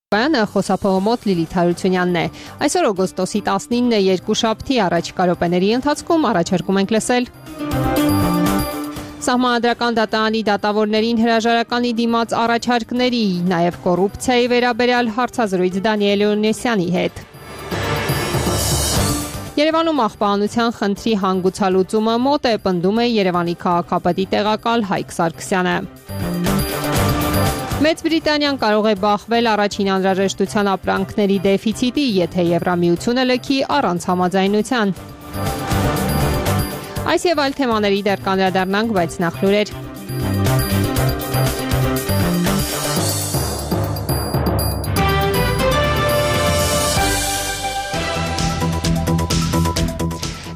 Բանը խոսափողոմոտ Լիլիթ Հարությունյանն է։ Այսօր օգոստոսի 19-ն է, երկուշաբթի առաջիկա րոպեների ընթացքում առաջարկում ենք լսել Սահմանադրական դատարանի դատավորներին հրաժարականի դիմաց առաջարկների, նաև կոռուպցիայի վերաբերյալ հարցազրույց Դանիել Օնեսյանի հետ։ Երևանում աղբահանության խնդրի հանգուցալուծումը մոտ է, պնդում է Երևանի քաղաքապետի տեղակալ Հայկ Սարգսյանը։ Մեծ Բրիտանիան կարող է բախվել առաջին անհրաժեշտության ապրանքների դեֆիցիտի, եթե Եվրամիությունը լքի առանց համաձայնության։ Այս եւ այլ թեմաների դեռ կանդրադառնանք, բայց նախ լուրեր։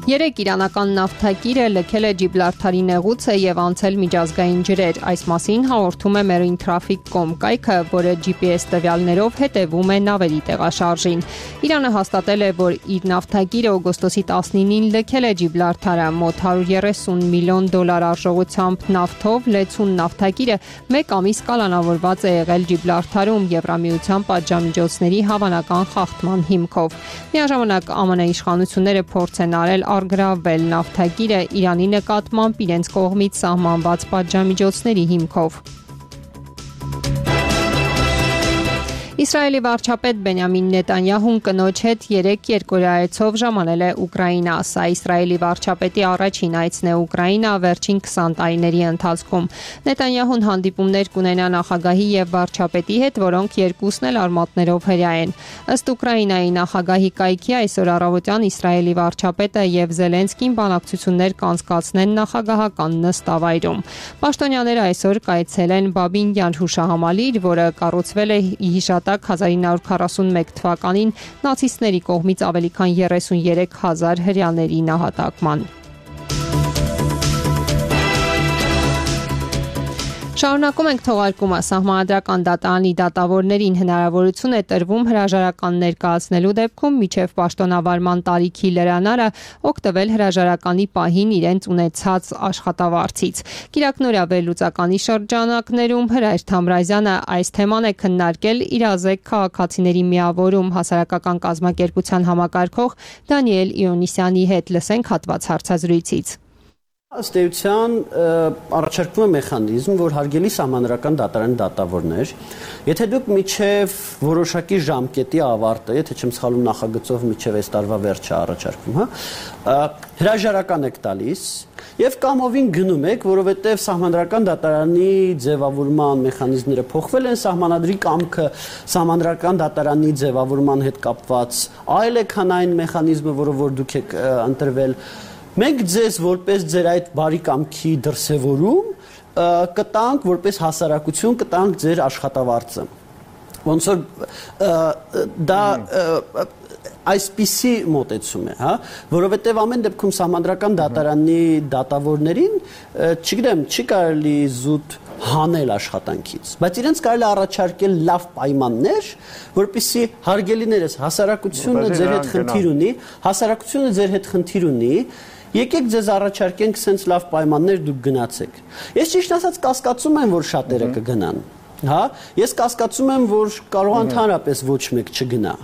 Երեք իրանական նավթակիրը լքել է Ջիբրալթարի նեղուցը եւ անցել միջազգային ջրեր։ Այս մասին հաղորդում է Marintraffic.com կայքը, որը GPS տվյալներով հետևում է նավերի տեղաշարժին։ Իրանը հաստատել է, որ իր նավթակիրը օգոստոսի 19-ին լքել է Ջիբրալթարը մոտ $130 միլիոն արժողությամբ նավթով լեցուն նավթակիրը 1 ամիս կալանավորված է եղել Ջիբրալթարում Եվրամիության պատժամիջոցների հավանական խախտման հիմքով։ Միաժամանակ ԱՄՆ իշխանությունները փորձ են արել արգրավել նավթակիրը Իրանի նկատմամբ իրենց կողմից սահմանված պատժամիջոցների հիմքով։ Իսրայելի վարչապետ Բենյամին Նետանյահուն կնոջ հետ 3 երկօրյա ժամանել է Ուկրաինա։ Սա Իսրայելի վարչապետի առաջին այցն է Ուկրաինա վերջին 20 տարիների ընթացքում։ Նետանյահուն հանդիպումներ կունենա նախագահի եւ վարչապետի հետ, որոնք երկուսն էլ արմատներով հրյա են։ Ըստ Ուկրաինայի նախագահի կայքի այսօր առավոտյան Իսրայելի վարչապետը եւ Զելենսկին բանակցություններ կանցկացնեն նախագահական նստավայրում։ Պաշտոնյաները այսօր կայցել են Բաբինյան հուշահամալիր, որը կառուցվել է հիշատակ 1941 թվականին նացիստների կողմից ավելի քան 33,000 հրեաների նահատակման։ Շարունակում ենք թողարկումը։ Սահմանադրական դատարանի դատավորներին հնարավորություն է տրվում հրաժարական ներկայացնելու դեպքում միջև պաշտոնավարման տարիքի լրանարը օգտվել հրաժարականի պահին իրենց ունեցած աշխատավարձից։ Կիրակնօրյա վերլուծականի շրջանակներում Հրայր Թամրազյանը այս թեման է քննարկել իրազեկ քաղաքացիների միավորում հասարակական կազմակերպության համակարգող Դանիել Օնեսյանի հետ։ Լսենք հատված հարցազրույցից։ Ըստ էության առաջարկվում է մեխանիզմ, որ հարգելի սահմանադրական դատարանի դատավորներ, եթե դուք միջև որոշակի ժամկետի ավարտը, եթե չեմ սխալվում նախագծով միջև այս տարվա վերջը առաջարկվում, հրաժարական եք տալիս եւ կամովին գնում եք, որովհետեւ սահմանադրական դատարանի ձևավորման մեխանիզմները փոխվել են, սահմանադրի կամքը սահմանադրական դատարանի ձևավորման հետ կապված այլ է, քան այն մեխանիզմը, որը որ դուք եք ընտրվել։ Մենք ձեզ որպես ձեր այդ բարի կամքի դրսևորում կտանք որպես հասարակություն կտանք ձեր աշխատավարձը։ Ոնց որ դա այսպիսի մոտեցում է, հա, որովհետև ամեն դեպքում սահմանադրական դատարանի դատավորներին, չգիտեմ, չի կարելի զուտ հանել աշխատանքից, բայց իրենց կարելի առաջարկել լավ պայմաններ, որպեսզի հարգելիներս հասարակությունը ձեր հետ խնդիր ունի, եկեք ձեզ առաջարկենք սենց լավ պայմաններ դուք գնացեք։ Ես ճիշտ ասած կասկածում եմ, որ շատերը կգնան, հա, ես կասկածում եմ, որ կարող ընդհանրապես ոչ մեկ չգնա։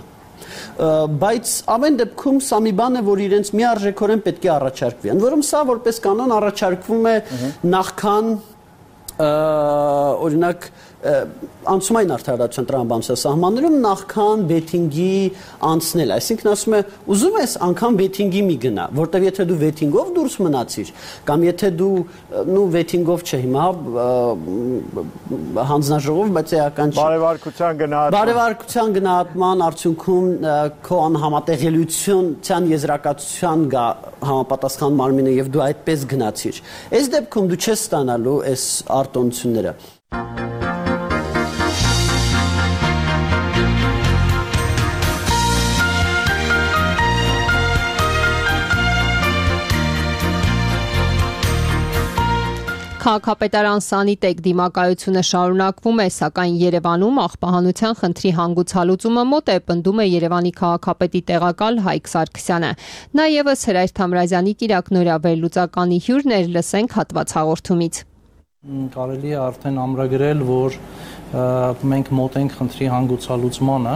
Բայց ամեն դեպքում սա մի բան է, որ իրենց միարժեքորեն պետք է առաջարկվի։ Ընդ որում սա որպես կանոն առաջարկվում է նախքան օրինակ անցումային արդարադատության տրամաբանության սահմաններում նախքան բեթինգի անցնել, այսինքն ասում է ուզում ես անգամ բեթինգի մի գնա, որտեվ եթե դու բեթինգով դուրս մնացիր, կամ եթե դու բեթինգով չէ հիմա հանձնաժողով, բայց էական չէ բարևարկության գնահատման արդյունքում քո անհամատեղելիության եզրակացության գա համապատասխան մարմինը եւ դու այդպես գնացիր, այս դեպքում դու չես ստանալու այս արտոնությունները։ Քաղաքապետարան Սանիտեկ դիմակայությունը շարունակվում է, սակայն Երևանում աղբահանության խնդրի հանգուցալուծումը մոտ է, պնդում է Երևանի քաղաքապետի տեղակալ Հայկ Սարգսյանը։ Նա ևս Հրայր Թամրազյանի կիրակնօրյա վերլուծականի հյուրն էր, լսենք հատված հաղորդումից։ Կարելի է արդեն ամրագրել, որ մենք մոտ ենք խնդրի հանգուցալուծմանը,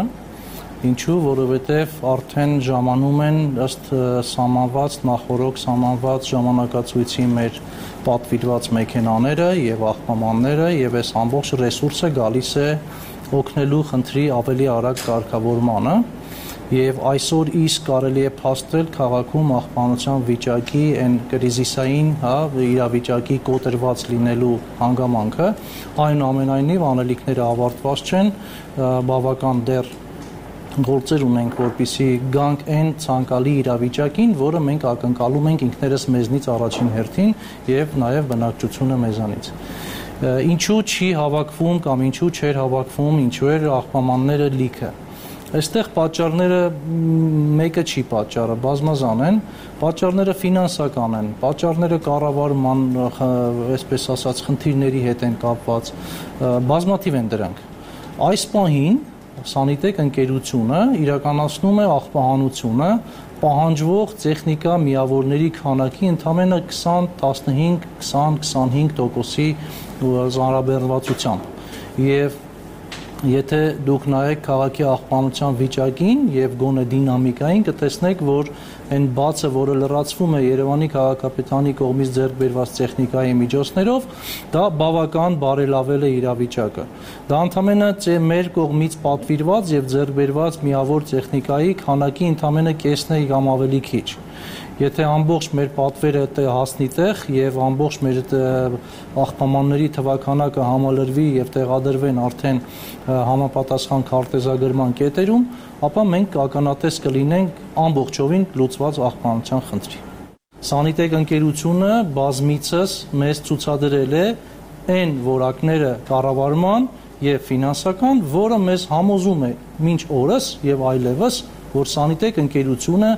ինչու, որովհետև արդեն ժամանում են ըստ սահմանված, նախորոք սահմանված ժամանակացույցի մեր պատվիրված մեքենաները եւ աղբամանները եւ այս ամբողջ ռեսուրսը գալիս է օգնելու խնդրի ավելի արագ կարգավորմանը եւ այսօր իսկ կարելի է փաստել քաղաքում աղբանության վիճակի այն կրիզիսային, իրավիճակի կոտրված լինելու հանգամանքը, այնուամենայնիվ անելիքները ավարտված չեն, բավական դեռ գործեր ունենք, որպեսզի գանք այն ցանկալի իրավիճակին, որը մենք ակնկալում ենք ինքներս մեզնից առաջին հերթին եւ նաեւ բնակչությունը մեզանից։ Ինչու չի հավաքվում կամ ինչու չէր հավաքվում, ինչու էր աղբամանները լիքը։ Այստեղ պատճառները մեկը չի պատճառը, բազմազան են, պատճառները ֆինանսական են, պատճառները կառավարման, այսպես ասած, խնդիրների հետ են կապված, բազմաթիվ են դրանք։ Այս պահին Սանիտեկ ընկերությունը իրականացնում է աղբահանությունը պահանջվող տեխնիկա միավորների քանակի ընդամենը 20-15-20-25%-ի զանրաբեռնվածությամբ եւ եթե դուք նայեք քաղաքի աղբանության վիճակին եւ գոնե դինամիկային կտեսնեք, որ այն բացը, որը լրացվում է Երևանի քաղաքապետարանի կողմից ձեռք բերված տեխնիկայի միջոցներով, դա բավական բարելավել է իրավիճակը։ Դա ընդամենը մեր կողմից պատվիրված եւ ձեռք բերված միավոր տեխնիկայի քանակի ընդամենը կեսն է կամ ավելի քիչ։ Եթե ամբողջ մեր պատվերը հասնի տեղ եւ ամբողջ մեր աղբամանների թվականակը համալրվի եւ տեղադրվեն արդեն համապատասխան քարտեզագրման կետերում, ապա մենք ականատես կլինենք ամբողջովին լուծված աղբանության խնդրի։ Սանիտեկ ընկերությունը բազմիցս մեզ ցուցադրել է այն որակները կառավարման եւ ֆինանսական, որը մեզ համոզում է մինչ օրս եւ այլևս, որ Սանիտեկ ընկերությունը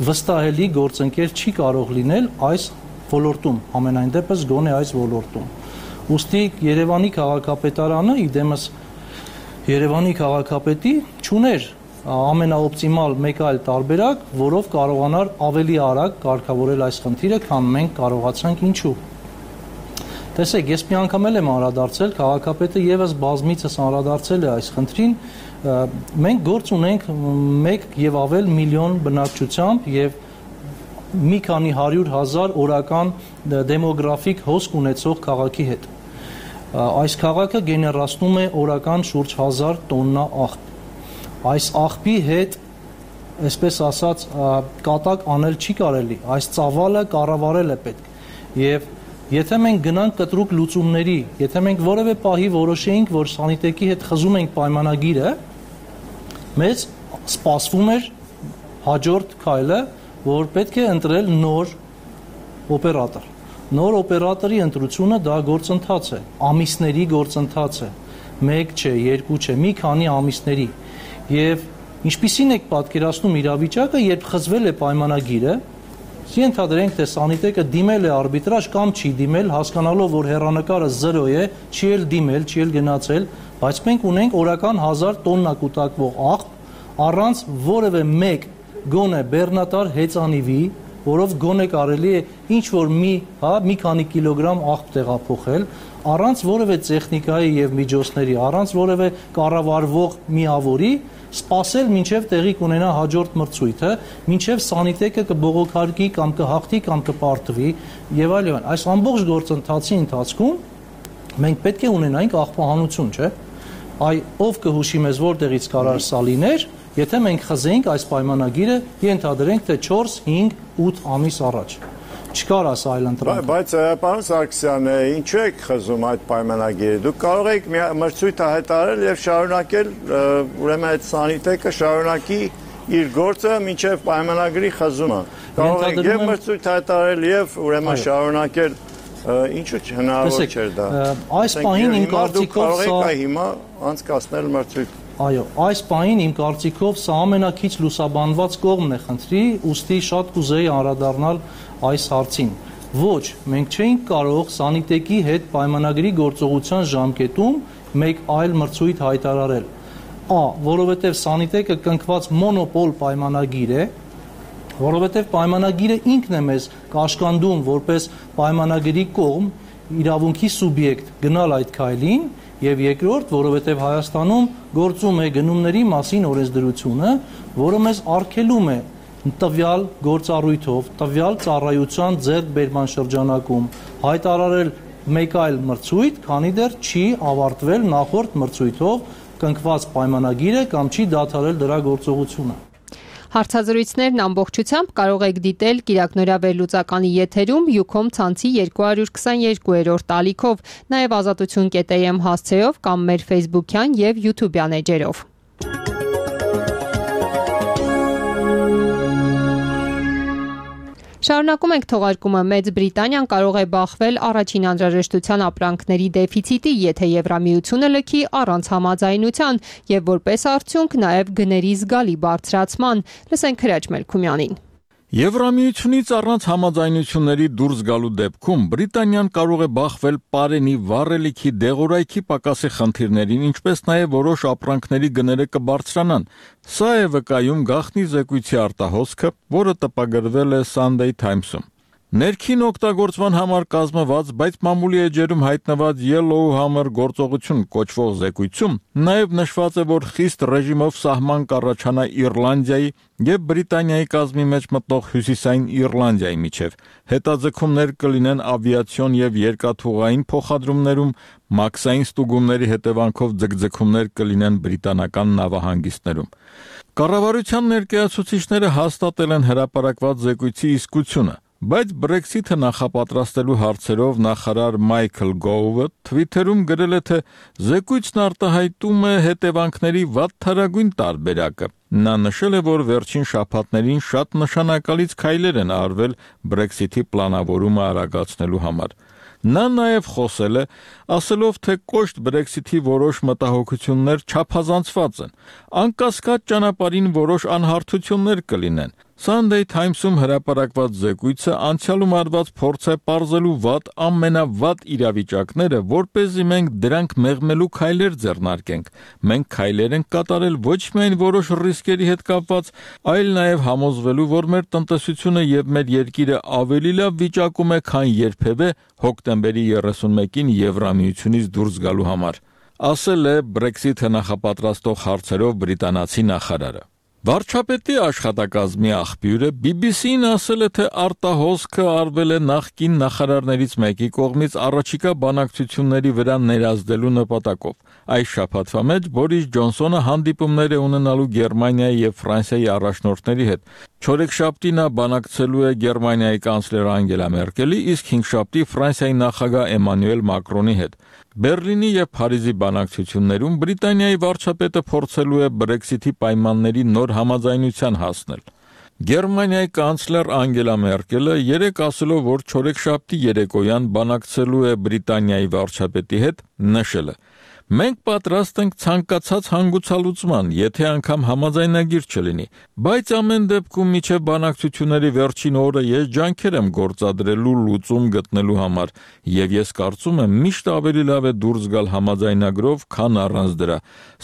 վստահելի գործընկեր չի կարող լինել այս ոլորտում, ամենայն դեպս գոնե այս ոլորտում։ Ուստի Երևանի քաղաքապետարանը, իդեմս Երևանի քաղաքապետի չուներ ամենաօպտիմալ մեկ այլ տարբերակ, որով կարողանար ավելի արագ կարգավորել այս խնդիրը, քան մենք կարողացանք ինչու։ Տեսեք, ես մի անգամ եմ անդրադարձել, քաղաքապետը եւս բազմիցս անդրադարձել է այս խնդրին, մենք գործ ունենք 1 եւ ավել միլիոն բնակչությամբ եւ մի քանի 100,000 օրական դեմոգրաֆիկ հոսք ունեցող քաղաքի հետ։ Այս քաղաքը գեներացնում է օրական շուրջ 1000 տոննա աղբ։ Այս աղբի հետ, այսպես ասած, կատակ անել չի կարելի, այս ծավալը կառավարել է պետք։ Եվ եթե մենք գնանք կտրուկ լուծումների, եթե մենք որևէ պահի որոշեինք, որ Սանիտեկի հետ խզում ենք պայմանագիրը, մեզ սպասվում էր հաջորդ քայլը, որ պետք է ընտրել նոր օպերատոր։ Նոր օպերատորի ընտրությունը դա գործընթաց է, ամիսների գործընթաց է, 1 չէ, 2 չէ, մի քանի ամիսների։ Եվ ինչպիսին եք պատկերացնում իրավիճակը, երբ խզվել է պայմանագիրը, ենթադրենք, թե Սանիտեկը դիմել է արբիտրաժ կամ չի դիմել, հասկանալով, որ հեռանկարը 0 է, չի էլ դիմել, չի էլ գնացել, բայց մենք ունենք օրական 1000 տոննա կուտակվող աղբ, առանց որևէ մեկ գոնե բեռնատար հեծանիվի, որով գոնե կարելի է ինչ-որ մի քանի կիլոգրամ աղբ տեղափոխել, առանց որևէ տեխնիկայի եւ միջոցների, առանց որևէ կառավարվող միավորի, սպասել մինչև տեղի կունենա հաջորդ մրցույթը, մինչև Սանիտեկը կբողոքարկի կամ կհաղթի կամ կպարտվի եւ այլն։ Այս ամբողջ գործընթացի ընթացքում մենք պետք է ունենայինք աղբահանություն, չէ՞։ Ով կհուշի մեզ որտեղից կարար սա լիներ, եթե մենք խզեինք այս պայմանագիրը, ենթադրենք, թե 4, 5, 8 ամիս առաջ։ Չկար աս այլ ընտրանք։ Բայց պարոն Սարգսյան, ինչու եք խզում այդ պայմանագիրը։ Դուք կարող եք մրցույթը հայտարարել եւ շարունակել, ուրեմն այդ Սանիտեկը շարունակի իր գործը մինչև պայմանագրի խզումը։ Կարող եք եւ մրցույթ հայտարարել եւ ուրեմն շարունակել, ինչու՞ հնարավոր չէր դա։ Այս պահին իմ կարծիքով կարող եք հիմա անցկացնել մրցույթ։ Այո, այս պահին իմ կարծիքով սա ամենակիչ լուսաբանված կողմն է խնդրի, ուստի շատ կուզեի անդրադառնալ այս հարցին։ Ոչ, մենք չէինք կարող Սանիտեկի հետ պայմանագրի գործողության ժամկետում մեկ այլ մրցույթ հայտարարել։ Որովհետև Սանիտեկը կնքված մոնոպոլ պայմանագիր է, որովհետև պայմանագիրը ինքն է մեզ կաշկանդում որպես պայմանագրի կողմ իրավունքի սուբյեկտ գնալ այդ քայլին, եւ երկրորդ, որովհետեւ Հայաստանում գործում է գնումների մասին օրենսդրությունը, որը մեզ արգելում է տվյալ գործառույթով, տվյալ ծառայության ձեռքբերման շրջանակում հայտարարել մեկ այլ մրցույթ, քանի դեռ չի ավարտվել նախորդ մրցույթով կնքված պայմանագիրը կամ չի դադարել դրա գործողությունը։ Հարցազրույցներն ամբողջությամբ կարող եք դիտել Կիրակնորյա վերլուծականի եթերում Յուքոմ ցանցի 222-րդ ալիքով, նաև ազատություն.am հասցեով կամ մեր Facebook-յան եւ YouTube-յան էջերով։ Շարունակում ենք թողարկումը։ Մեծ Բրիտանիան կարող է բախվել առաջին անհրաժեշտության ապրանքների դեֆիցիտի, եթե Եվրամիությունը լքի առանց համաձայնության եւ որպես արդյունք նաեւ գների զգալի բարձրացման։ Լսենք Հրաչ Մելքումյանին։ Եվրամիությունից առանց համաձայնությունների դուրս գալու դեպքում Բրիտանիան կարող է բախվել պարենի, վառելիքի, դեղորայքի պակասի խնդիրներին, ինչպես նաև որոշ ապրանքների գները կբարձրանան։ Սա է վկայում գաղտնի զեկույցի արտահոսքը, որը տպագրվել է Sunday Times-ում։ Ներքին օգտագործման համար կազմված, բայց մամուլի էջերում հայտնված Yellow Hammer գործողություն կոչվող զեկույցում նաև նշված է, որ խիստ ռեժիմով սահման կառաջանա Իռլանդիայի եւ Բրիտանիայի կազմի մեջ մտնող Հյուսիսային Իռլանդիայի միջև։ Հետաձգումներ կլինեն ավիացիոն եւ երկաթուղային փոխադրումներում, մաքսային ստուգումների հետևանքով ձգձգումներ կլինեն բրիտանական նավահանգիստներում։ Կառավարության ներկայացուցիչները հաստատել են հրապարակված զեկույցի իսկությունը, բայց Brexit-ը նախապատրաստելու հարցերով նախարար Մայքլ Գոուվը Twitter-ում գրել է, թե զեկույցն արտահայտում է հետևանքների վատթարագույն տարբերակը։ Նա նշել է, որ վերջին շաբաթներին շատ նշանակալից քայլեր են արվել Brexit-ի պլանավորումը արագացնելու համար։ Նա նաև խոսել է, ասելով, թե կոշտ Brexit-ի որոշ մտահոգություններ չափազանցված են։ Անկասկած ճանապարհին որոշ անհարթություններ կլինեն։ Sunday Times-ում հրապարակված զեկույցը անցյալում արված փորձ է պարզելու վատ ամենավատ իրավիճակները, որպեսզի մենք դրանք մեղմելու քայլեր ձեռնարկենք։ Մենք քայլեր ենք կատարել ոչ միայն որոշ ռիսկերի հետ կապված, այլ նաև համոզվելու, որ մեր տնտեսությունը եւ մեր երկիրը ավելի լավ վիճակում է, քան երբևէ հոկտեմբերի 31-ին Եվրամիությունից դուրս գալու համար, ասել է Brexit-ը նախապատրաստող հարցերով բրիտանացի նախարարը։ Վարչապետի աշխատակազմի աղբյուրը BBC-ին ասել է, թե արտահոսքը արվել է նախկին նախարարներից մեկի կողմից առաջիկա բանակցությունների վրա ներազդելու նպատակով։ Այս շաբաթվա մեջ Բորիս Ջոնսոնը հանդիպումներ է ունենալու Գերմանիայի եւ Ֆրանսիայի առաջնորդների հետ։ Չորեքշաբթի նա բանակցելու է Գերմանիայի կանցլեր Անգելա Մերկելի, իսկ հինգշաբթի Ֆրանսիայի նախագահ Էմանուել Մակրոնի հետ։ Բերլինի եւ Փարիզի բանակցություններում Բրիտանիայի վարչապետը փորձելու է Brexit-ի պայմանների նոր համաձայնության հասնել։ Գերմանիայի կանցլեր Անգելա Մերկելը երեկ ասելով, որ չորեքշաբթի երեկոյան բանակցելու է Բրիտանիայի վարչապետի հետ, նշել է. Մենք պատրաստ ենք ցանկացած հանգուցալուծման, եթե անգամ համաձայնագիր չլինի, բայց ամեն դեպքում միջև բանակցությունների վերջին օրը ես ջանքեր եմ գործադրելու լուծում գտնելու համար, եւ ես կարծում եմ միշտ ավելի լավ է դուրս գալ համաձայնագրով, քան առանց դրա,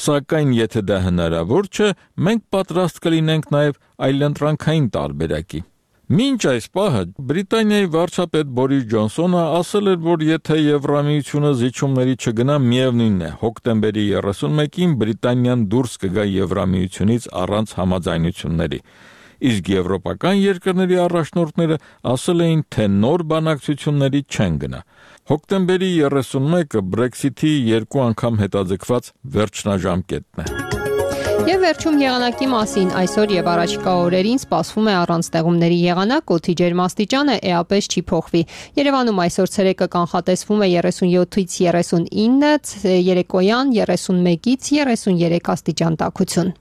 սակայն եթե դա հնարավոր չէ, մենք պատրաստ կլինենք նաեւ այլընտրանքային տարբերակի։ Մինչ այս պահը Բրիտանիայի վարչապետ Բորիս Ջոնսոնը ասել էր, որ եթե Եվրամիությունը զիջումների չգնա, միևնույնն է, հոկտեմբերի 31-ին Բրիտանիան դուրս կգա Եվրամիությունից առանց համաձայնությունների։ Իսկ եվրոպական երկրների առաջնորդները ասել էին, թե նոր բանակցությունների չեն գնա։ Հոկտեմբերի 31-ը Brexit-ի 2 անգամ հետաձգված վերջնաժամկետն է։ Եվ վերջում եղանակի մասին այսօր եւ առաջիկա օրերին սպասվում է առանց տեղումների եղանակ, օդի ջերմաստիճանը էապես չի փոխվի։ Երևանում այսօր ցերեկը կանխատեսվում է 37-ից 39, երեկոյան 31-ից 33 աստիճան տաքություն։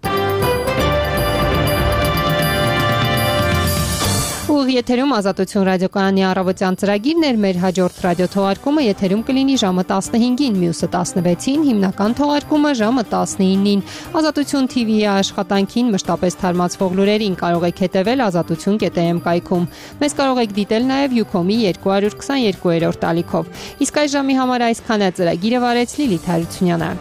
Ուղիղ եթերում Ազատություն ռադիոկայանի առավոտյան ծրագիրն էր, մեր հաջորդ ռադիոթողարկումը եթերում կլինի ժամը 15-ին, մյուսը 16-ին, հիմնական թողարկումը ժամը 19-ին։ Ազատություն TV-ի աշխատանքին մշտապես թարմացվող լուրերին կարող եք հետևել azatutun.am կայքում։ Մեզ կարող եք դիտել նաև Յուքոմի 222-րդ ալիքով։ Իսկ այս ժամի համար այսքանը ծրագիրը վարեց Լիլիթ Հարությունյանը։